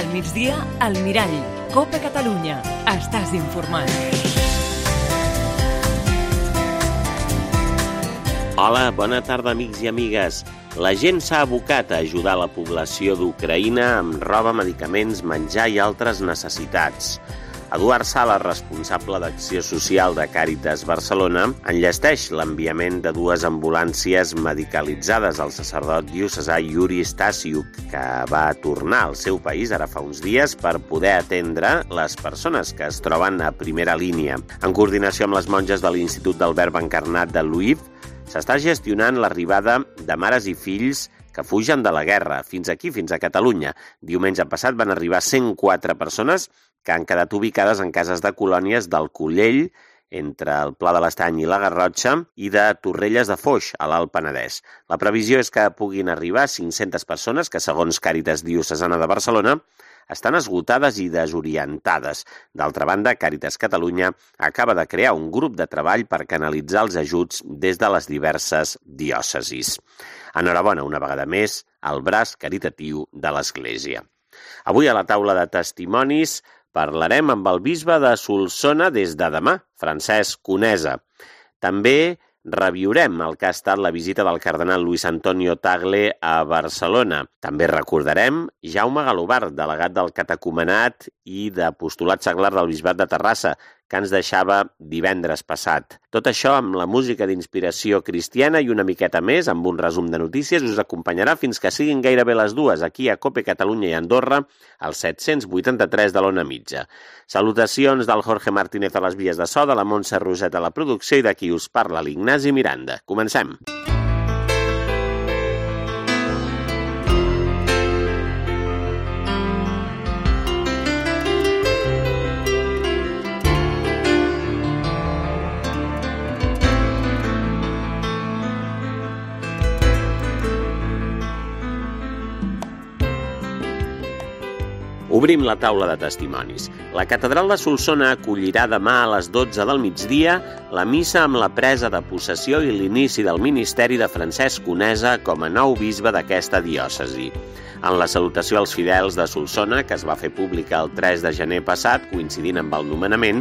Al migdia, al Mirall. Copa Catalunya. Estàs informat. Hola, bona tarda, amics i amigues. La gent s'ha abocat a ajudar la població d'Ucraïna amb roba, medicaments, menjar i altres necessitats. Eduard Sala, responsable d'Acció Social de Càritas Barcelona, enllesteix l'enviament de 2 ambulàncies medicalitzades al sacerdot diocesà Yuri Stasiuk, que va tornar al seu país ara fa uns dies per poder atendre les persones que es troben a primera línia. En coordinació amb les monges de l'Institut del Verb Encarnat de Lviv, s'està gestionant l'arribada de mares i fills que fugen de la guerra fins aquí, fins a Catalunya. Diumenge passat van arribar 104 persones que han quedat ubicades en cases de colònies del Collell, entre el Pla de l'Estany i la Garrotxa, i de Torrelles de Foix, a l'Alt Penedès. La previsió és que puguin arribar 500 persones que, segons Càritas Diocesana de Barcelona, estan esgotades i desorientades. D'altra banda, Càritas Catalunya acaba de crear un grup de treball per canalitzar els ajuts des de les diverses diòcesis. Enhorabona, una vegada més, al braç caritatiu de l'Església. Avui a la taula de testimonis parlarem amb el bisbe de Solsona des de demà, Francesc Conesa. També reviurem el que ha estat la visita del cardenal Luis Antonio Tagle a Barcelona. També recordarem Jaume Galobart, delegat del catecumenat i d'apostolat seglar del bisbat de Terrassa, que ens deixava divendres passat. Tot això amb la música d'inspiració cristiana i una miqueta més, amb un resum de notícies, us acompanyarà fins que siguin gairebé les 2 aquí a Cope Catalunya i Andorra, al 783 de l'Ona Mitja. Salutacions del Jorge Martínez a les vies de so, de la Montse Roset a la producció i de qui us parla, l'Ignasi Miranda. Comencem. Obrim la taula de testimonis. La catedral de Solsona acollirà demà a les 12 del migdia la missa amb la presa de possessió i l'inici del ministeri de Francesc Conesa com a nou bisbe d'aquesta diòcesi. En la salutació als fidels de Solsona, que es va fer pública el 3 de gener passat, coincidint amb el nomenament,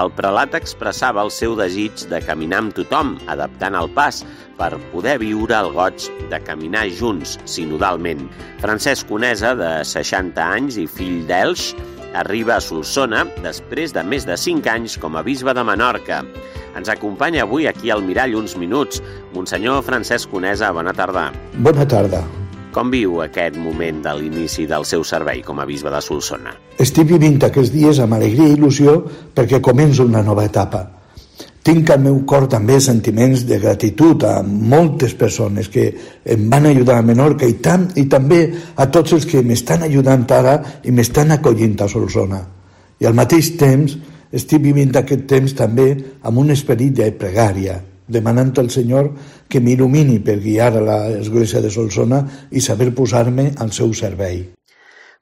el prelat expressava el seu desig de caminar amb tothom, adaptant el pas, per poder viure el goig de caminar junts, sinodalment. Francesc Conesa, de 60 anys i fill d'Elx, arriba a Solsona després de més de 5 anys com a bisbe de Menorca. Ens acompanya avui aquí al Mirall uns minuts. Monsenyor Francesc Conesa, bona tarda. Bona tarda. Com viu aquest moment de l'inici del seu servei com a bisbe de Solsona? Estic vivint aquests dies amb alegria i il·lusió perquè començo una nova etapa. Tinc al meu cor també sentiments de gratitud a moltes persones que em van ajudar a Menorca i també a tots els que m'estan ajudant ara i m'estan acollint a Solsona. I al mateix temps estic vivint aquest temps també amb un esperit de pregària, demanant al Senyor que m'il·lumini per guiar a l'Església de Solsona i saber posar-me al seu servei.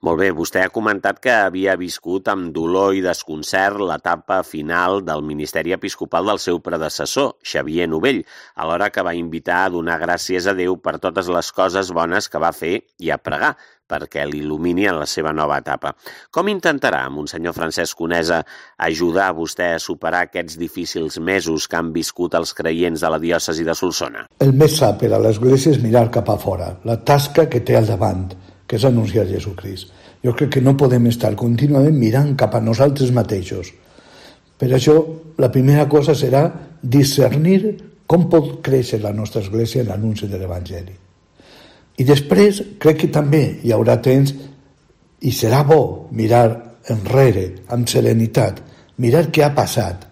Molt bé, vostè ha comentat que havia viscut amb dolor i desconcert l'etapa final del ministeri episcopal del seu predecessor, Xavier Novell, alhora que va invitar a donar gràcies a Déu per totes les coses bones que va fer i a pregar perquè l'il·lumini en la seva nova etapa. Com intentarà, Monsenyor Francesc Conesa, ajudar a vostè a superar aquests difícils mesos que han viscut els creients de la diòcesi de Solsona? El més sa per a l'Església és mirar cap a fora, la tasca que té al davant, que és anunciar Jesucrist. Jo crec que no podem estar contínuament mirant cap a nosaltres mateixos. Per això, la primera cosa serà discernir com pot créixer la nostra Església en l'anunci de l'Evangeli. I després, crec que també hi haurà temps, i serà bo mirar enrere, amb serenitat, mirar què ha passat,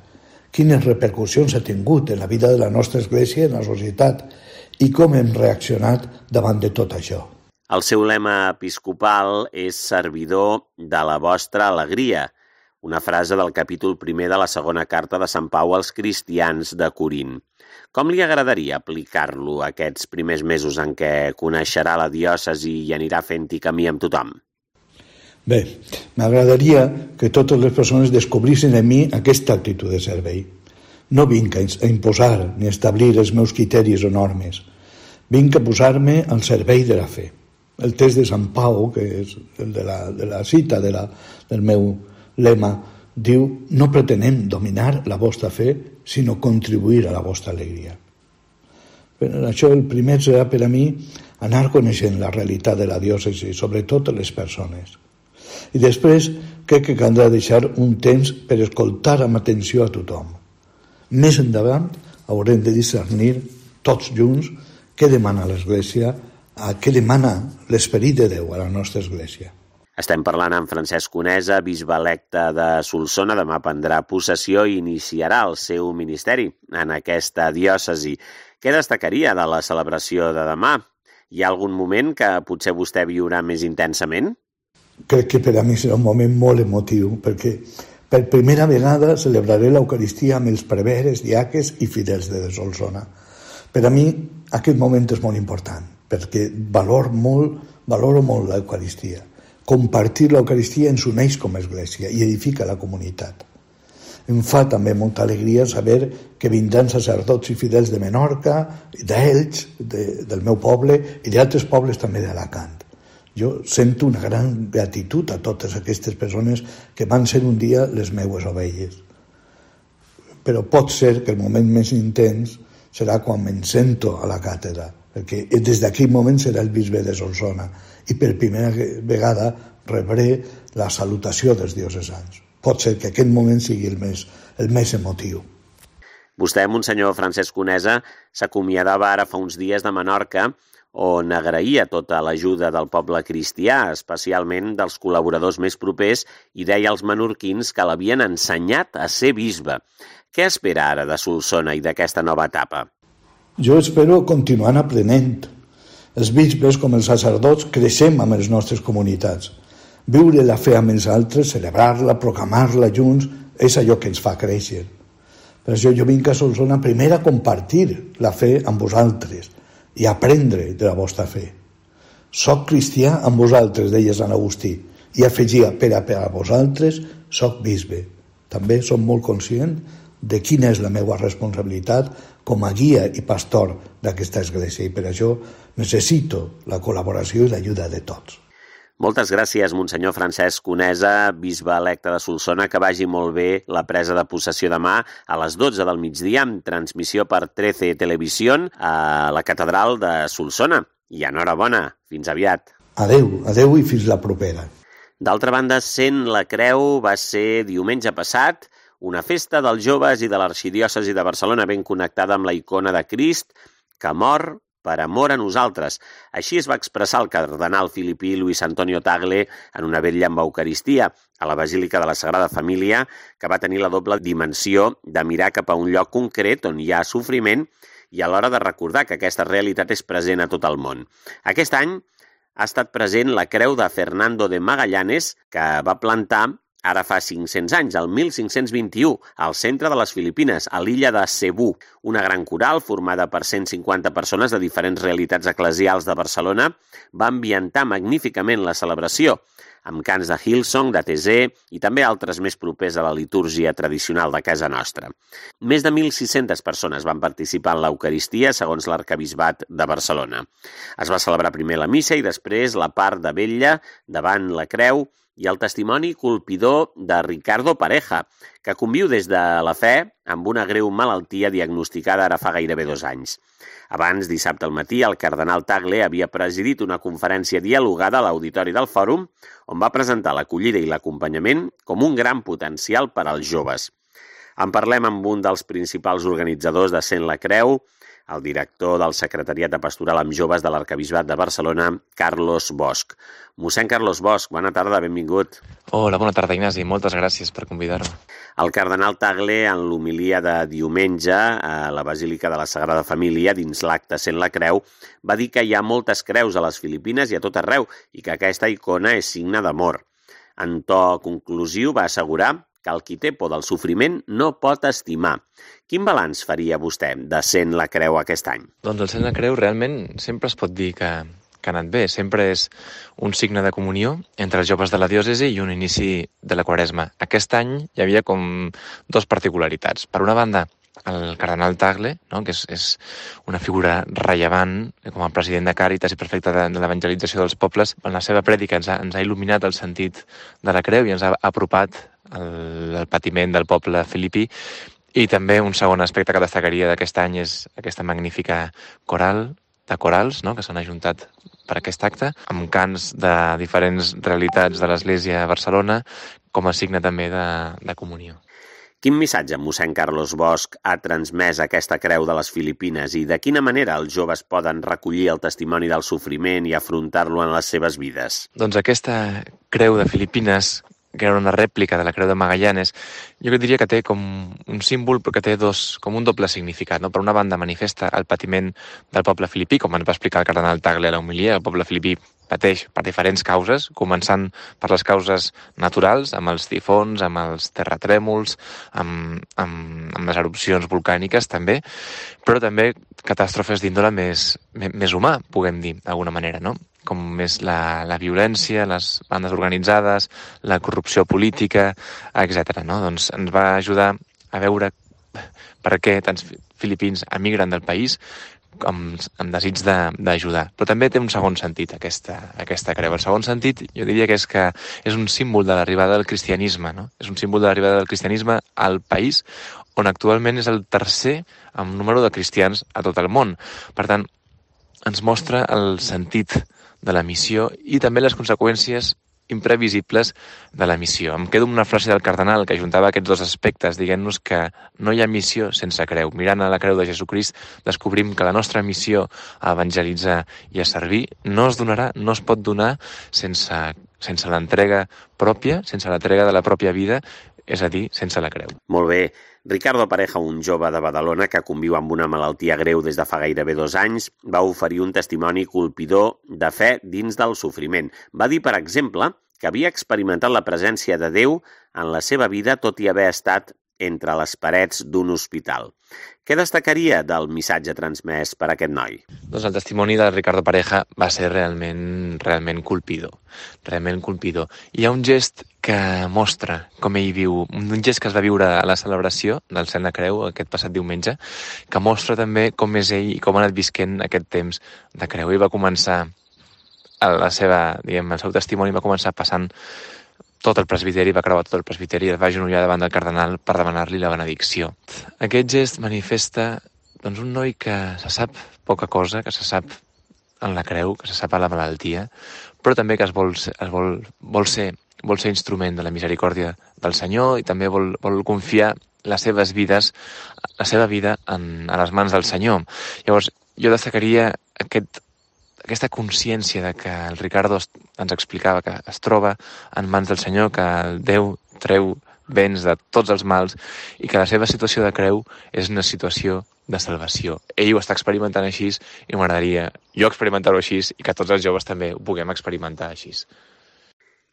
quines repercussions ha tingut en la vida de la nostra Església i en la societat, i com hem reaccionat davant de tot això. El seu lema episcopal és servidor de la vostra alegria, una frase del capítol 1 de la segona carta de Sant Pau als cristians de Corint. Com li agradaria aplicar-lo aquests primers mesos en què coneixerà la diòcesi i anirà fent-hi camí amb tothom? Bé, m'agradaria que totes les persones descobrissin en mi aquesta actitud de servei. No vinc a imposar ni a establir els meus criteris o normes. Vinc a posar-me al servei de la fe. el text de Sant Pau, que és el de la cita del meu lema, diu: no pretenem dominar la vostra fe, sinó contribuir a la vostra alegria. Per això el primer serà per a mi anar coneixent la realitat de la diòcesi, sobretot les persones. I després crec que caldrà deixar un temps per escoltar amb atenció a tothom. Més endavant haurem de discernir tots junts què demana l'Església, què demana l'Esperit de Déu a la nostra Església. Estem parlant amb Francesc Conesa, bisbe electe de Solsona. Demà prendrà possessió i iniciarà el seu ministeri en aquesta diòcesi. Què destacaria de la celebració de demà? Hi ha algun moment que potser vostè viurà més intensament? Crec que per a mi serà un moment molt emotiu, perquè per primera vegada celebraré l'Eucaristia amb els preveres, diaques i fidels de Solsona. Per a mi aquest moment és molt important, perquè valoro molt l'Eucaristia. Compartir l'Eucaristia ens uneix com a Església i edifica la comunitat. Em fa també molta alegria saber que vindran sacerdots i fidels de Menorca, d'Elx, del meu poble i d'altres pobles també d'Alacant. Jo sento una gran gratitud a totes aquestes persones que van ser un dia les meues ovelles. Però pot ser que el moment més intens serà quan me'n sento a la càtedra, perquè des d'aquell moment serà el bisbe de Solsona i per primera vegada rebré la salutació dels diocesans. Pot ser que aquest moment sigui el més emotiu. Vostè, Monsenyor Francesc Conesa, s'acomiadava ara fa uns dies de Menorca, on agraïa tota l'ajuda del poble cristià, especialment dels col·laboradors més propers, i deia als menorquins que l'havien ensenyat a ser bisbe. Què espera ara de Solsona i d'aquesta nova etapa? Jo espero continuar aprenent. Els bisbes, com els sacerdots, creixem amb les nostres comunitats. Viure la fe amb els altres, celebrar-la, proclamar-la junts, és allò que ens fa créixer. Per això jo vinc a Solsona primer a compartir la fe amb vosaltres i aprendre de la vostra fe. Soc cristià amb vosaltres, deia Sant Agustí, i afegia: per a vosaltres soc bisbe. També som molt conscient de quina és la meva responsabilitat com a guia i pastor d'aquesta església, i per això necessito la col·laboració i l'ajuda de tots. Moltes gràcies, Monsenyor Francesc Conesa, bisbe electe de Solsona. Que vagi molt bé la presa de possessió demà a les 12 del migdia, amb transmissió per 13 Televisión a la catedral de Solsona. I enhorabona, fins aviat. Adeu i fins la propera. D'altra banda, Sent la Creu va ser diumenge passat una festa dels joves i de l'arxidiòcesi de Barcelona ben connectada amb la icona de Crist, que mor per amor a nosaltres. Així es va expressar el cardenal filipí Luis Antonio Tagle en una vetlla amb Eucaristia a la Basílica de la Sagrada Família, que va tenir la doble dimensió de mirar cap a un lloc concret on hi ha sofriment i alhora de recordar que aquesta realitat és present a tot el món. Aquest any ha estat present la creu de Fernando de Magallanes, que va plantar ara fa 500 anys, el 1521, al centre de les Filipines, a l'illa de Cebu. Una gran coral, formada per 150 persones de diferents realitats eclesials de Barcelona, va ambientar magníficament la celebració, amb cants de Hillsong, de Tesé i també altres més propers a la litúrgia tradicional de casa nostra. Més de 1.600 persones van participar en l'Eucaristia, segons l'Arquebisbat de Barcelona. Es va celebrar primer la missa i després la part de vetlla davant la creu i el testimoni colpidor de Ricardo Pareja, que conviu des de la fe amb una greu malaltia diagnosticada ara fa gairebé 2 anys. Abans, dissabte al matí, el cardenal Tagle havia presidit una conferència dialogada a l'auditori del Fòrum, on va presentar l'acollida i l'acompanyament com un gran potencial per als joves. En parlem amb un dels principals organitzadors de Sent la Creu, el director del Secretariat de Pastoral amb Joves de l'Arquebisbat de Barcelona, Carlos Bosch. Mossèn Carlos Bosch, bona tarda, benvingut. Hola, bona tarda, Ignasi. Moltes gràcies per convidar-me. El cardenal Tagle, en l'homilia de diumenge a la Basílica de la Sagrada Família, dins l'acte Sent la Creu, va dir que hi ha moltes creus a les Filipines i a tot arreu i que aquesta icona és signe d'amor. En to conclusiu va assegurar que el qui té por del sofriment no pot estimar. Quin balanç faria vostè de Sent la Creu aquest any? Doncs el Sent la Creu realment sempre es pot dir que ha anat bé. Sempre és un signe de comunió entre els joves de la diòcesi i un inici de la Quaresma. Aquest any hi havia com 2 particularitats. Per una banda, el cardenal Tagle, no? Que és una figura rellevant com a president de Càritas i prefecte de l'evangelització dels pobles. En la seva prèdica ens ha il·luminat el sentit de la creu i ens ha apropat al patiment del poble filipí. I també un segon aspecte que destacaria d'aquest any és aquesta magnífica coral de corals, no? Que s'han ajuntat per aquest acte, amb cants de diferents realitats de l'Església a Barcelona, com a signe també de comunió. Quin missatge mossèn Carlos Bosch ha transmès aquesta creu de les Filipines i de quina manera els joves poden recollir el testimoni del sofriment i afrontar-lo en les seves vides? Doncs aquesta creu de Filipines, que era una rèplica de la creu de Magallanes, jo diria que té com un símbol, però que té com un doble significat. No? Per una banda, manifesta el patiment del poble filipí, com ens va explicar el cardenal Tagle a l'homilia. El poble filipí pateix per diferents causes, començant per les causes naturals, amb els tifons, amb els terratrèmols, amb les erupcions volcàniques també, però també catàstrofes d'índole més humà, puguem dir, d'alguna manera, no? Com més la violència, les bandes organitzades, la corrupció política, etc. No? Doncs ens va ajudar a veure per què tants filipins emigren del país amb desig d'ajudar. Però també té un segon sentit, aquesta creu. El segon sentit, jo diria que és un símbol de l'arribada del cristianisme, no? És un símbol de l'arribada del cristianisme al país, on actualment és el tercer en número de cristians a tot el món. Per tant, ens mostra el sentit de la missió i també les conseqüències imprevisibles de la missió. Em quedo amb una frase del cardenal que ajuntava aquests dos aspectes, dient-nos que no hi ha missió sense creu. Mirant a la creu de Jesucrist, descobrim que la nostra missió a evangelitzar i a servir no es pot donar sense l'entrega pròpia, sense l'entrega de la pròpia vida, és a dir, sense la creu. Molt bé. Ricardo Pareja, un jove de Badalona que conviu amb una malaltia greu des de fa gairebé 2 anys, va oferir un testimoni colpidor de fe dins del sofriment. Va dir, per exemple, que havia experimentat la presència de Déu en la seva vida tot i haver estat entre les parets d'un hospital. Què destacaria del missatge transmès per aquest noi? Doncs el testimoni de Ricardo Pareja va ser realment colpidor. Realment colpidor. Hi ha un gest que mostra com ell viu, un gest que es va viure a la celebració del Cel de Creu aquest passat diumenge, que mostra també com és ell i com ha anat visquent aquest temps de creu. Ell va començar el seu testimoni va començar passant tot el presbiteri, va creuar tot el presbiteri i es va agenollar davant del cardenal per demanar-li la benedicció. Aquest gest manifesta un noi que se sap poca cosa, que se sap en la creu, que se sap a la malaltia, però també que vol ser instrument de la misericòrdia del Senyor i també vol confiar la seva vida a les mans del Senyor. Llavors, jo destacaria aquesta consciència de que el Ricardo ens explicava que es troba en mans del Senyor, que el Déu treu béns de tots els mals i que la seva situació de creu és una situació de salvació. Ell ho està experimentant així i m'agradaria jo experimentar-ho així i que tots els joves també ho puguem experimentar així.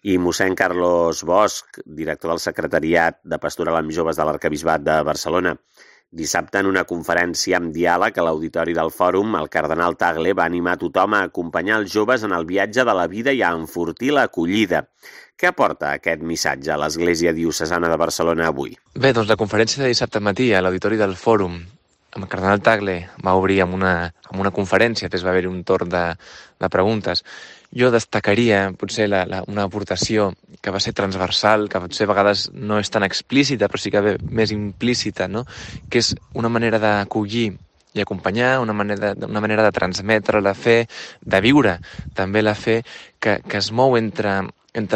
I mossèn Carlos Bosch, director del Secretariat de Pastoral amb Joves de l'Arquebisbat de Barcelona. Dissabte, en una conferència amb diàleg a l'auditori del Fòrum, el cardenal Tagle va animar tothom a acompanyar els joves en el viatge de la vida i a enfortir l'acollida. Què aporta aquest missatge a l'Església Diocesana de Barcelona avui? Bé, doncs la conferència de dissabte matí a l'auditori del Fòrum amb el cardenal Tagle va obrir amb una conferència, després va haver-hi un torn de preguntes. Jo destacaria potser una aportació que va ser transversal, que potser a vegades no és tan explícita, però sí que ve més implícita, no? Que és una manera d'acollir i acompanyar, una manera de transmetre la fe, de viure també la fe, que es mou entre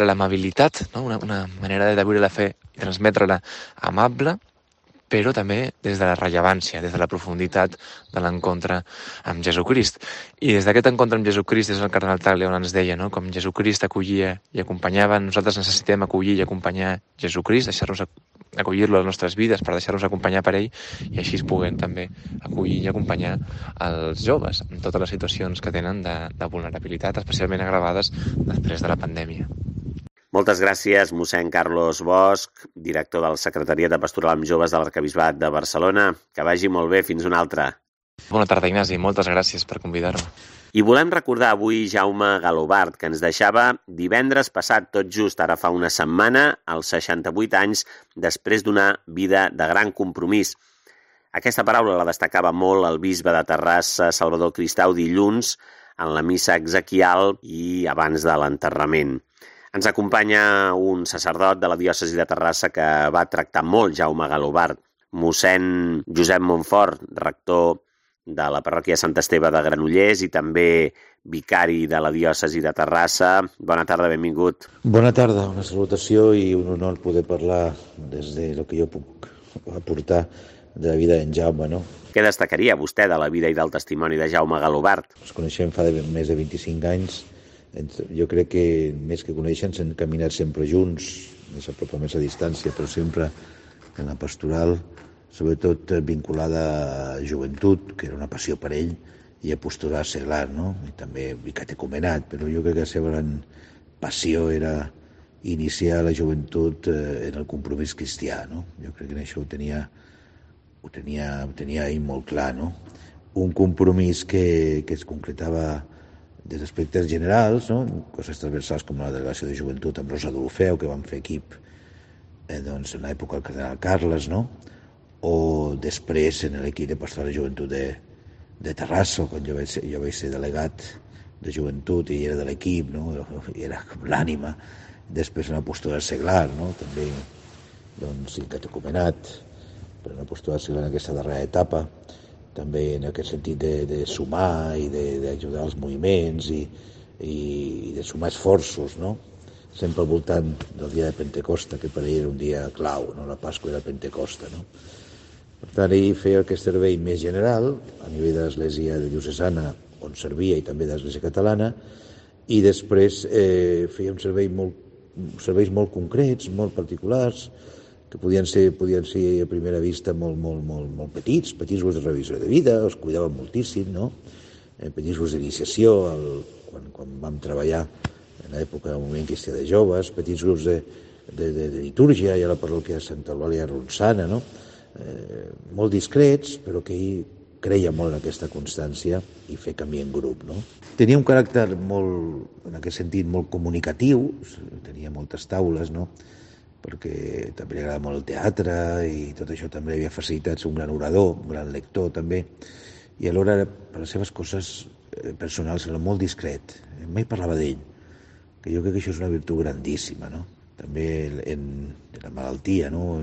l'amabilitat, no? Una manera de viure la fe i transmetre-la amable, però també des de la rellevància, des de la profunditat de l'encontre amb Jesucrist. I des d'aquest encontre amb Jesucrist, des del cardenal Tagle on ens deia, no? Com Jesucrist acollia i acompanyava, nosaltres necessitem acollir i acompanyar Jesucrist, deixar-nos acollir-lo a les nostres vides per deixar-nos acompanyar per ell i així puguem també acollir i acompanyar els joves en totes les situacions que tenen de vulnerabilitat, especialment agravades després de la pandèmia. Moltes gràcies, mossèn Carlos Bosch, director del Secretariat de Pastoral amb Joves de l'Arquebisbat de Barcelona. Que vagi molt bé, fins una altra. Bona tarda, Ignasi, moltes gràcies per convidar-me. I volem recordar avui Jaume Galobart, que ens deixava divendres passat, tot just ara fa una setmana, als 68 anys, després d'una vida de gran compromís. Aquesta paraula la destacava molt el bisbe de Terrassa, Salvador Cristau, dilluns en la missa exequial i abans de l'enterrament. Ens acompanya un sacerdot de la diòcesi de Terrassa que va tractar molt Jaume Galobart, mossèn Josep Montfort, rector de la parròquia Sant Esteve de Granollers i també vicari de la diòcesi de Terrassa. Bona tarda, benvingut. Bona tarda, una salutació i un honor poder parlar des de lo que jo puc aportar de la vida d'en Jaume, no? Què destacaria vostè de la vida i del testimoni de Jaume Galobart? Ens coneixem fa més de 25 anys. Jo crec que més que conèixer ens hem caminat sempre junts, més a prop o més a distància, però sempre en la pastoral, sobretot vinculada a joventut, que era una passió per ell, i a pastoral seglar, no? I també vicatecumenat, però jo crec que la seva gran passió era iniciar la joventut en el compromís cristià, no? Jo crec que en això ho tenia ell molt clar, no? Un compromís que es concretava des d'aspectes generals, no? Coses transversals com la delegació de joventut amb Rosa d'Olofeu, que vam fer equip doncs, en l'època del cardenal Carles, no? O després en l'equip de pastoral de joventut de Terrassa, quan jo vaig ser delegat de joventut i era de l'equip, no? I era com l'ànima. Després en la pastoral seglar, no? També doncs, catecumenat, per una postura seglar en aquesta darrera etapa, també en aquest sentit de sumar i d'ajudar als moviments i de sumar esforços, no? Sempre al voltant del dia de Pentecosta, que per ell era un dia clau, no? La Pasqua era Pentecosta, no? Per tant, ell feia aquest servei més general a nivell de l'Església diocesana on servia i també de l'Església catalana, i després feia serveis molt concrets, molt particulars, que podien ser a primera vista molt petits grups de revisió de vida, els cuidaven moltíssim, no? Petits grups d'iniciació, quan vam treballar en l'època del moviment cristià de joves, petits grups de litúrgia i a la parròquia de Santa Eulàlia Ronçana, no? Molt discrets, però que ell creia molt en aquesta constància i fer camí en grup, no? Tenia un caràcter en aquest sentit, molt comunicatiu, tenia moltes taules, no? Perquè també li agrada molt el teatre i tot això també li havia facilitat ser un gran orador, un gran lector també, i alhora per les seves coses personals era molt discret, mai parlava d'ell, que jo crec que això és una virtut grandíssima, no? També en la malaltia, no?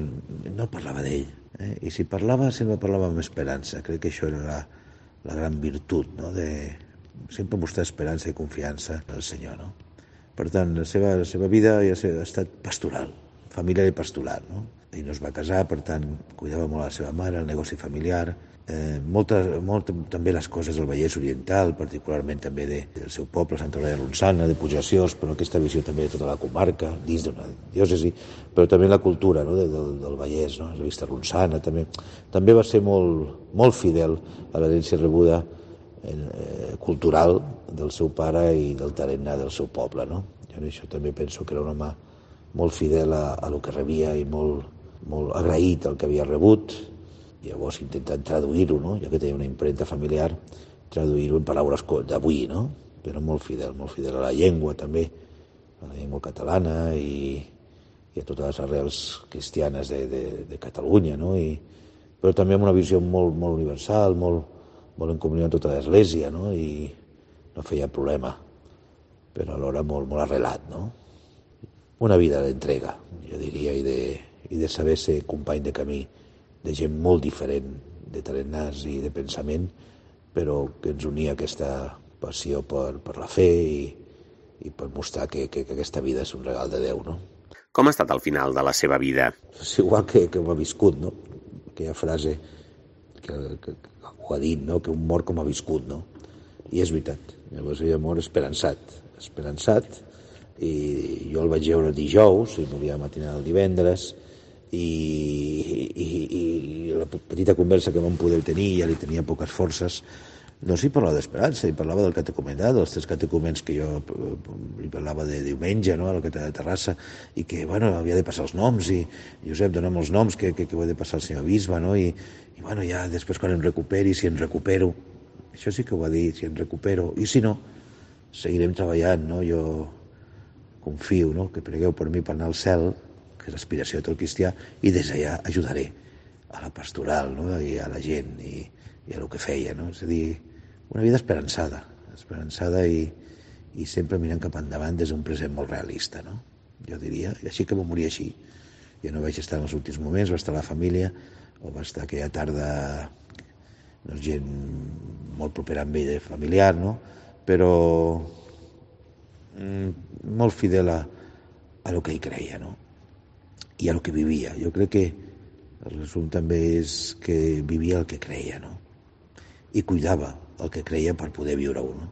No parlava d'ell, i si parlava sempre parlava amb esperança. Crec que això era la gran virtut, no? De sempre mostrar esperança i confiança en el Senyor, no? Per tant, la seva vida ha estat pastoral, familiar i pastoral, no? Ell no es va casar, per tant, cuidava molt la seva mare, el negoci familiar, molt també les coses del Vallès Oriental, particularment també del seu poble, Santa Eulàlia Ronçana, de Puiggraciós, però aquesta visió també de tota la comarca, dins d'una diòcesi, però també la cultura, no? del Vallès, no? La vista ronçana, també va ser molt fidel a l'herència rebuda cultural del seu pare i del tarannà del seu poble, no? Jo en això també penso que era un home molt fidel a lo que rebia i molt agraït al que havia rebut, i llavors intentant traduir-ho, no? Ja que tenia una impremta familiar, traduir-ho en paraules d'avui, no? Però molt fidel a la llengua també, a la llengua catalana i a totes les arrels cristianes de Catalunya, no? Però també amb una visió molt universal, molt en comunió amb tota l'Església, no? I no feia problema, però alhora molt arrelat, no? Una vida d'entrega, jo diria, i de saber ser company de camí de gent molt diferent, de tarannàs i de pensament, però que ens unia aquesta passió per la fe i per mostrar que aquesta vida és un regal de Déu, no? Com ha estat el final de la seva vida? És igual que ho ha viscut, no? Aquella frase que ho ha dit, no? Que un mort com ha viscut, no? I és veritat. Llavors ell mort esperançat, i jo el vaig veure el dijous i moria matinal el divendres i la petita conversa que vam poder tenir, ja li tenia poques forces, no s'hi parlava d'esperança, hi parlava del catecumenat, dels 3 catecumens que jo li parlava de diumenge, no?, a la catedral de Terrassa, i que, bueno, havia de passar els noms, i Josep, dona'm els noms que ho he de passar al senyor bisbe, no?, i bueno, ja després quan em recuperi, si em recupero, això sí que ho va dir, si em recupero, i si no, seguirem treballant, no?, jo confio, no?, que pregueu per mi per anar al cel, que és l'aspiració de tot cristià, i des d'allà ajudaré a la pastoral, no? I a la gent i a el que feia, no? És a dir, una vida esperançada i sempre mirant cap endavant des d'un present molt realista, no? Jo diria, i així que va morir així. Jo no vaig estar en els últims moments, va estar la família, o va estar aquella tarda gent molt propera amb ell, familiar, no? Però molt fidel a el que ell creia, no? I a el que vivia. Jo crec que el resum també és que vivia el que creia, no? I cuidava el que creia per poder viure-ho, no?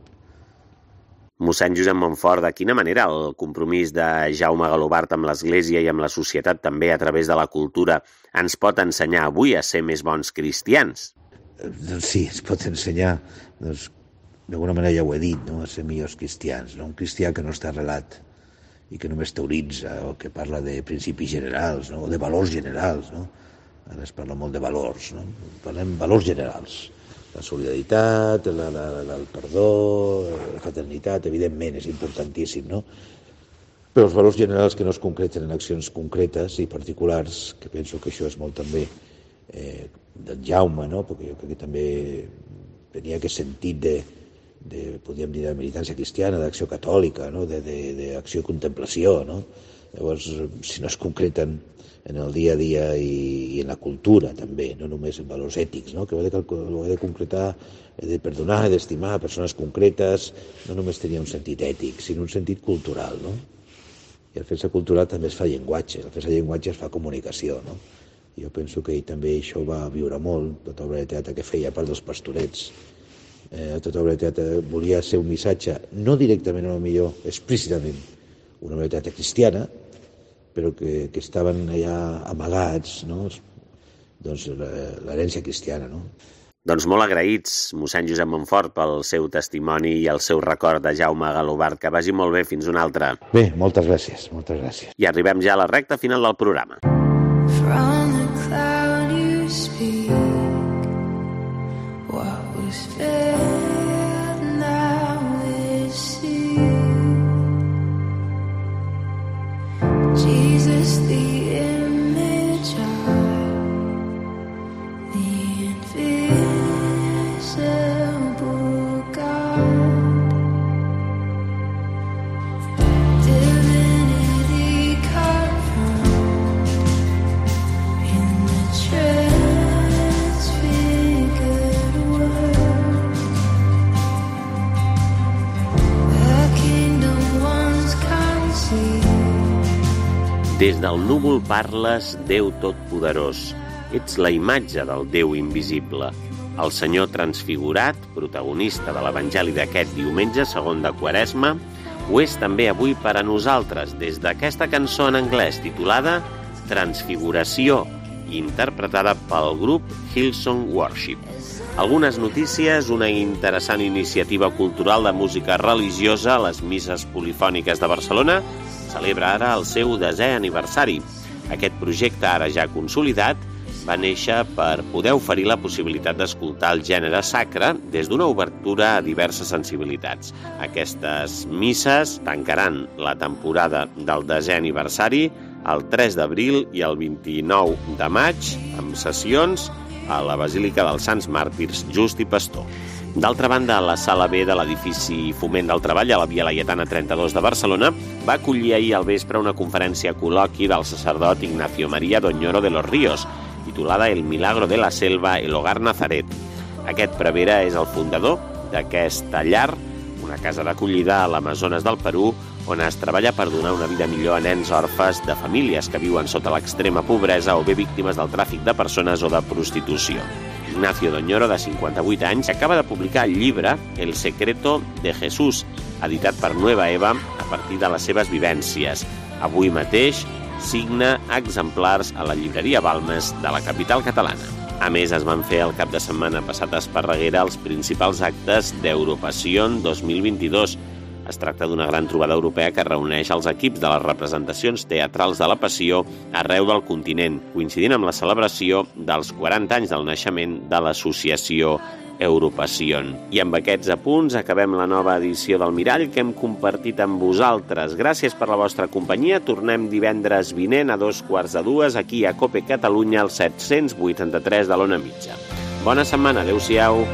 Mossèn Josep Montfort, de quina manera el compromís de Jaume Galobart amb l'Església i amb la societat també a través de la cultura ens pot ensenyar avui a ser més bons cristians? Doncs sí, ens pot ensenyar, doncs, d'alguna manera ja ho he dit, no? A ser millors cristians, no? Un cristià que no està arrelat i que només teoritza o que parla de principis generals, no? O de valors generals, no? Ara es parla molt de valors, no? Parlem valors generals. La solidaritat, el perdó, la fraternitat, evidentment, és importantíssim, no? Però els valors generals que no es concreten en accions concretes i particulars, que penso que això és molt també d'en Jaume, no? Perquè jo crec que també tenia aquest sentit podríem dir, de militància cristiana, d'acció catòlica, no? D'acció i contemplació, no? Llavors, si no es concreten en el dia a dia i en la cultura també, no només en valors ètics, no? Que ho he de concretar, he de perdonar, he d'estimar persones concretes, no només tenia un sentit ètic, sinó un sentit cultural, no? I el fer-se cultural també es fa llenguatge, el fer-se llenguatge es fa comunicació, no? Jo penso que ell també això va viure molt, tota obra de teatre que feia, a part dels pastorets. Tota obra de teatre volia ser un missatge, no directament, a lo millor, explícitament, una obra de teatre cristiana, però que estaven allà amagats, no? Doncs l'herència cristiana, no? Doncs molt agraïts, mossèn Josep Montfort, pel seu testimoni i el seu record de Jaume Galobart. Que vagi molt bé, fins una altra. Bé, moltes gràcies, moltes gràcies. I arribem ja a la recta final del programa. From the cloud you speak, what was veiled now is seen. Jesus, the image of the invisible God, divinity confirmed in the transfigured Word. The kingdom once conceived. Des del núvol parles, Déu Totpoderós. Ets la imatge del Déu invisible. El Senyor transfigurat, protagonista de l'Evangeli d'aquest diumenge segon de Quaresma, ho és també avui per a nosaltres, des d'aquesta cançó en anglès titulada Transfiguració, interpretada pel grup Hillsong Worship. Algunes notícies, una interessant iniciativa cultural de música religiosa a les misses polifòniques de Barcelona, celebra ara el seu 10è aniversari. Aquest projecte, ara ja consolidat, va néixer per poder oferir la possibilitat d'escoltar el gènere sacre des d'una obertura a diverses sensibilitats. Aquestes misses tancaran la temporada del 10è aniversari el 3 d'abril i el 29 de maig, amb sessions a la Basílica dels Sants Màrtirs Just i Pastor. D'altra banda, la sala B de l'edifici Foment del Treball a la Via Laietana 32 de Barcelona va acollir ahir al vespre una conferència col·loqui del sacerdot Ignacio María Doñoro de los Ríos, titulada El milagro de la selva, el hogar Nazaret. Aquest prevere és el fundador d'aquesta llar, una casa d'acollida a l'Amazones del Perú, on es treballa per donar una vida millor a nens orfes de famílies que viuen sota l'extrema pobresa o bé víctimes del tràfic de persones o de prostitució. Ignacio Doñoro, de 58 anys, acaba de publicar el llibre El secreto de Jesús, editat per Nueva Eva a partir de les seves vivències. Avui mateix signa exemplars a la llibreria Balmes de la capital catalana. A més, es van fer el cap de setmana passat a Esparreguera els principals actes d'Europassion 2022. Es tracta d'una gran trobada europea que reuneix els equips de les representacions teatrals de la Passió arreu del continent, coincidint amb la celebració dels 40 anys del naixement de l'associació Europassion. I amb aquests apunts acabem la nova edició del Mirall que hem compartit amb vosaltres. Gràcies per la vostra companyia. Tornem divendres vinent a 2:45 aquí a COPE Catalunya, al 783 de l'Ona Mitja. Bona setmana. Adéu-siau.